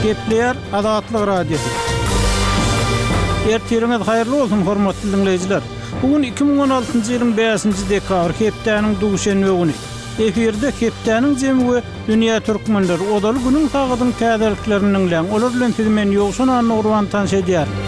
Gepleýär Azatlyk Radiosy. Ertiriňiz haýyrly bolsun, hormatly diňleýjiler! Bu gün 2016-njy ýylyň bäşinji dekabry, hepdäniň duşenbe güni. Efirde hepdäniň jemi we Dünýä türkmenleri, ozaly günüň sagadyň täzeliklerini diňläň, olar bilen sizi men Ýowşan Annagurban tanyş edýärin.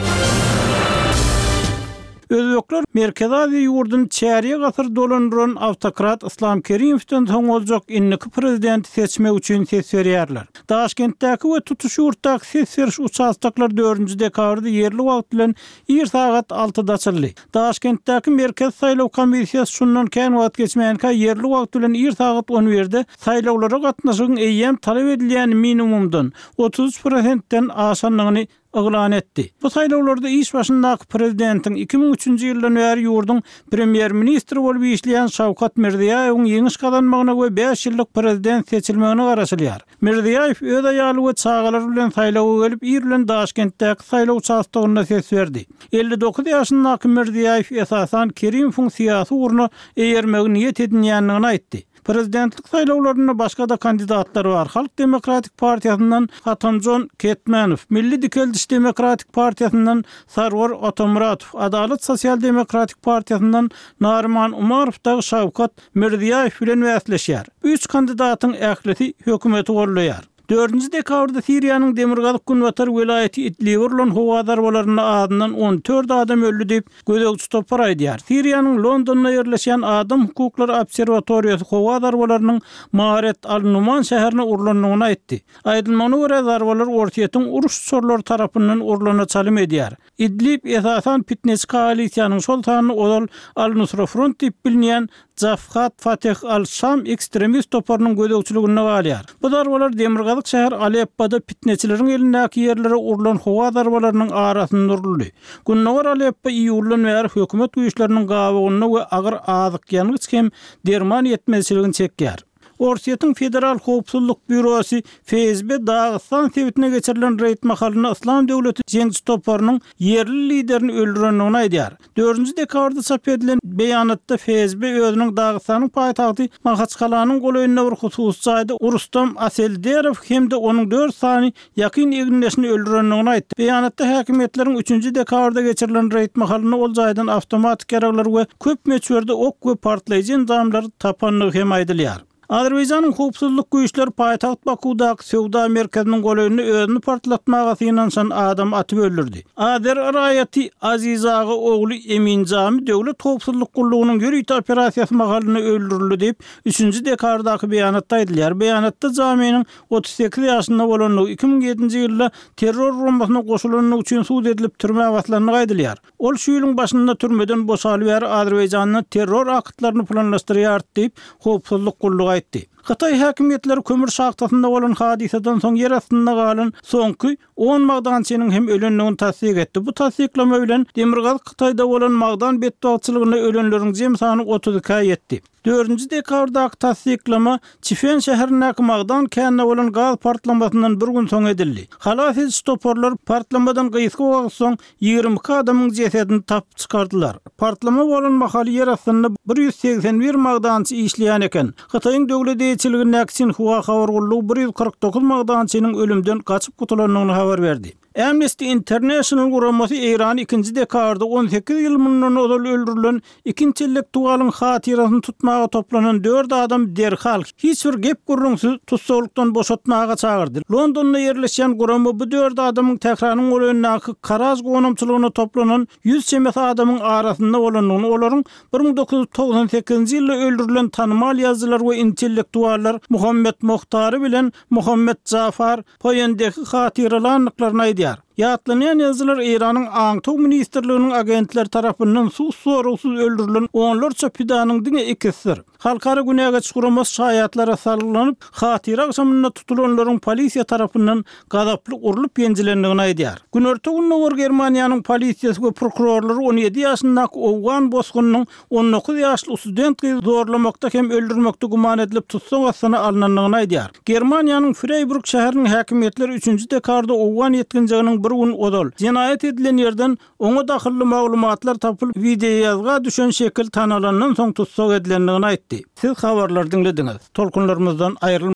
Özbekler Merkezi Aziýa ýurduny çärýek asyr dolandyran awtokrat Yslam Kerimowdan soň boljak indiki prezidenti seçmek üçin ses berýärler. Daşkentdäki we tutuş ýurtdaky ses beriş uçastoklary dördünji dekabrda ýerli wagt bilen ir sagat altyda açyldy. Daşkentdäki Merkezi saýlaw komissiýasy şundan kän wagt geçmänkä ýerli wagt bilen ir sagat on birde saýlawlara gatnaşygyň eýýäm talap edilýän minimumdan, 33 prosentden aşandygyny yglan etdi. Bu saýlawlarda iş başyndaky prezidentiň 2003-nji ýyldan bäri ýurduň premýer-ministri bolup işleýän Şawkat Mirziýaýewiň ýeňiş gazanmagyna we bäş ýyllyk prezident seçilmegine garaşylýar. Mirziýaýew öz aýaly we çagalary bilen saýlawa gelip, ir bilen Daşkentdäki saýlaw uçastogynda ses berdi. 59 ýaşyndaky Mirziýaýew esasan Kerimowyň syýasy ugruna eýermegi niýet edinýändigini aýtdy. Prezidentlik saýlawlarynda başga-da kandidatlar bar, Halk demokratik partiýasyndan Hatamjon Ketmenow, Milli dikeldiş demokratik partiýasyndan Sarwar Otamuratow, Adalat sosial-demokratik partiýasyndan Naryman Umarow dagy Şawkat Mirziýaýew bilen bäsleşýär. Bu üç kandidatyň ählisi hökümeti goldaýar. Dördünji dekabrda Siriýanyň demirgazyk-günbatar welaýaty Idlibe urlan howa zarbalarynda azyndan 14 adam öldi diýip, gözegçi topar aýdýar. Siriýanyň Londonda ýerleşýän Adam hukuklary obserwatoriýasy howa zarbalarynyň Maaret al-Numan şäherine urlandygyny aýtdy. Aýdylmagyna görä, zarbalar Orsýetiň uruş uçarlary tarapyndan urlana çalym edýär. Idlib esasan pitneçi koalisiýanyň, şol sanda ozal Al-Nusra Front diýip bilinýän Jabhat Fateh al-Şam ekstremist toparynyň gözegçiliginde galýar. Bu zarbalar demirgazyk şäher Aleppoda pitneçileriň elindäki ýerlere urlan howa zarbalarynyň arasynda uruldy. Gündogar Aleppo iýuldan bäri hökümet güýçleriniň gabawynda we agyr azyk-ýangyç hem derman ýetmezçiligini çekýär. Orsýetiň Federal howpsuzlyk býurosy, FSB, Dagystan sebitine geçirilen reýd mahalynda Yslam döwleti jeňçi toparynyň ýerli liderini öldürendigini aýdýar. Dördünji dekabrda çap edilen beýanatda FSB özüniň Dagystanyň paýtagty Mahaçkalanyň golaýynda bir hususy jaýda Rustam Aselderow hem-de onuň dört sany ýakyn egindeşini öldürendigini aýtdy. Beýanatda häkimiýetleriň üçünji dekabrda geçirilen reýd mahalynda ol jaýdan awtomatik ýaraglar we köp möçberde ok we partlaýjy enjamlar tapandygy hem aýdylýar. Azerbaýjanyň howpsuzlyk güýçleri paýtagt Bakuwdaky söwda merkeziniň golaýynda özüni partlatmaga synanyşan adamy atyp öldürdi. Azer raýaty Azizaga ogly Emin Jami Döwlet howpsuzlyk gullugynyň ýörite operasiýasy mahalynda öldürildi diýip, üçünji dekabrdaky beýanatda aýdylýar. Beýanatda Jaminiň 38 ýaşynda bolandygy, 2007-nji ýylda terror guramasyna goşulandygy üçin sud edilip türmä basylandygy aýdylýar. Ol şu ýylyň başynda türmeden boşaly bäri Azerbaýjanda terror aktlaryny planlaşdyrýardy diýip, howpsuzlyk gullugy aýtdy. Hytaý häkimiýetleri kömür şahtasynda bolan hadysadan soň ýer astynda galan soňky on magdançynyň hem ölendigini tassyk etdi. Bu tassyklama bilen Demirgazyk Hytaýda bolan magdan betbagtçylygynda ölenleriň jem sany 32-ä ýetdi. Dördünji dekabrdaky tassyklama Çifen şäherindäki magdan käninde bolan gaz partlamasyndan bir gün soň edildi. Halas ediş toparlary partlamadan gysga wagt soň 22 adamyň jesedini tapyp çykardylar. Partlama bolan mahaly ýer astynda 181 magdançy işleýän eken. Hytaýyň döwlet eýeçiligindäki Sinhua habar gullugy 149 magdançynyň ölümden gaçyp gutulandygyny habar berdi. Amnesty International guramasy Eýrany ikinji dekabrda 18 ýyl mundan ozal öldürilen iki intellektualyň hatyrasyny tutmaga toplanan dört adam derhal, hiç bir gep-gürrüňsiz tussaglykdan boşatmaga çagyrdy. Londonda ýerleşýän gurama bu dört adamyň Tähranyň golaýyndaky Karaj gonamçylygyna toplanan ýüz çemesi adamyň arasynda bolandygyny, olaryň 1998-nji ýylda öldürilen tanymal ýazyjylar we intellektuallar Muhammet Mohtary bilen Muhammet Jafar Poýendehi hatyralandyklaryny aýdýar. Ýatlanýan ýazyjylar Eýranyň Aňtaw ministrliginiň agentleri tarapyndan sud-soragsyz öldürilen onlarça pidanyň diňe ikisidir. Halkara günä geçiş guramasy şaýatlara salgylanyp, hatyra agşamynda tutulanlaryň polisiýa tarapyndan gazaply urlup-ýenjilendigini aýdýar. Günorta-Gündogar Germaniýanyň polisiýasy we prokurorlary 17 ýaşyndaky owgan bosgunynyň 19 ýaşly student gyzy zorlamakda hem öldürmekde güman edilip tussag astyna alnandygyny aýdýar. Germaniýanyň Freýburg şäheriniň häkimiýetleri üçünji dekabrda owgan ýetginjeginiň bir gün ozal, jenaýat edilen ýerden oňa dahylly maglumatlar tapylyp, wideoýazga düşen şekil tanalandan soň tussag edilendigini aýtdy. Siz habarlary diňlediňiz. Tolkunlarymyzdan aýrylmaň!